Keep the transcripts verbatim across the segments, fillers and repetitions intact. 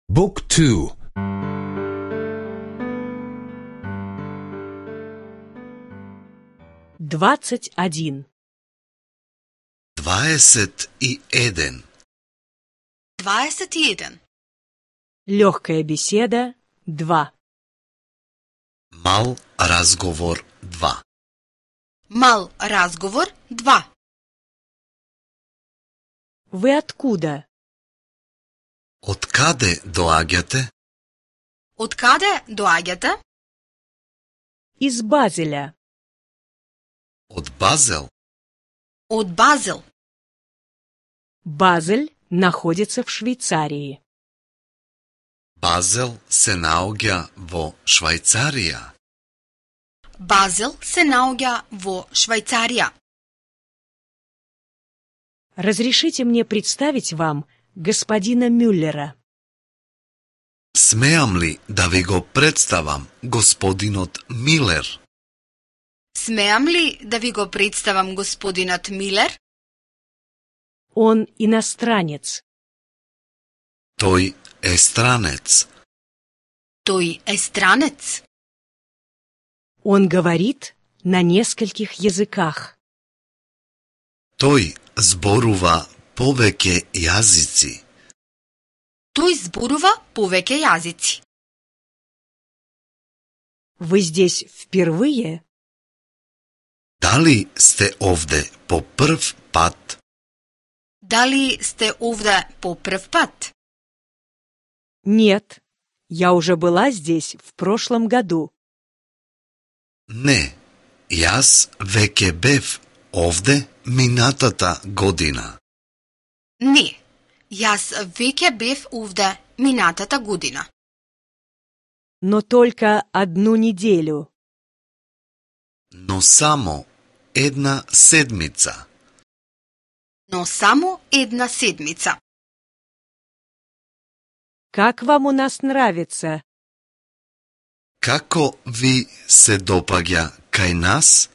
Book two. Двадцать один. Дваесет и еден. Дваесет и еден. Легкая беседа два. Мал разговор два. Мал разговор два. Вы откуда? Од каде доаѓате? Од каде доаѓате? Из Базеля. Од Базел. Од Базел. Базель находится в Швейцарии. Базел се наоѓа во Швајцарија. Базел се наоѓа во Швајцарија. Разрешите мне представить вам господина Мюллера. Смеам ли да ви го представам господинот Милер? Смеам ли да ви го представам господинот Милер? Он иностранец. Тој е странец. Тој е странец. Он говорит на нескольких языках. Тој зборува повеќе јазици. Тој зборува повеќе јазици. Вы здесь впервые? Дали сте овде по прв пат? Дали сте овде по прв пат? Нет, я уже была здесь в прошлом году. Не, јас веќе бев овде минатата година. Не, јас веќе бев овде минатата година. Но только одну неделю. Но само една седмица. Но само една седмица. Как вам у нас нравится? Како ви се допаѓа кај нас?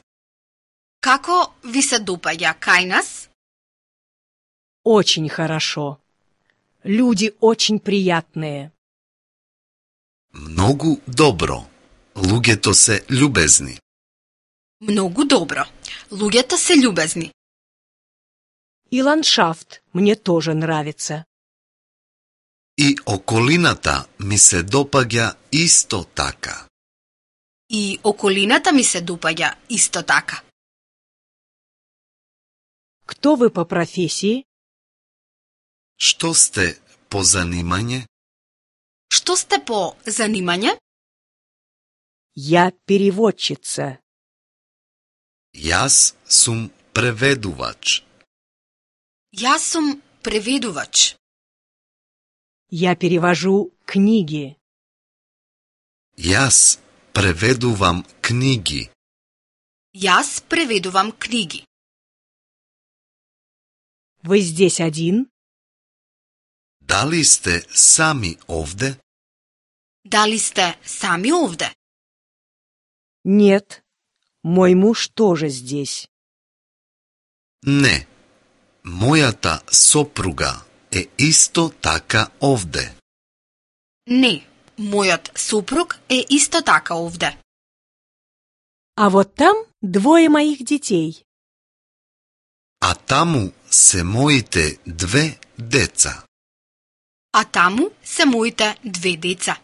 Како ви се допаѓа кај нас? Очень хорошо. Люди очень приятные. Многу добро. Луѓето се љубезни. Многу добро. Луѓето се љубезни. И ландшафт мне тоже нравится. И околината ми се допаѓа исто така. И околината ми се допаѓа исто така. Кто вы по профессии? Што сте по занимање? Што сте по занимање? Я переводчица. Јас сум преведувач. Јас сум преведувач. Я перевожу книги. Јас преведувам книги. Јас преведувам книги. Вы здесь один? Дали сте сами овде? Дали сте сами овде? Нет, мой муж тоже здесь. Не. Мојата сопруга е исто така овде. Не, мојот супруг е исто така овде. А вот там двое моих детей. А таму се моите две деца. А таму се моите две деца.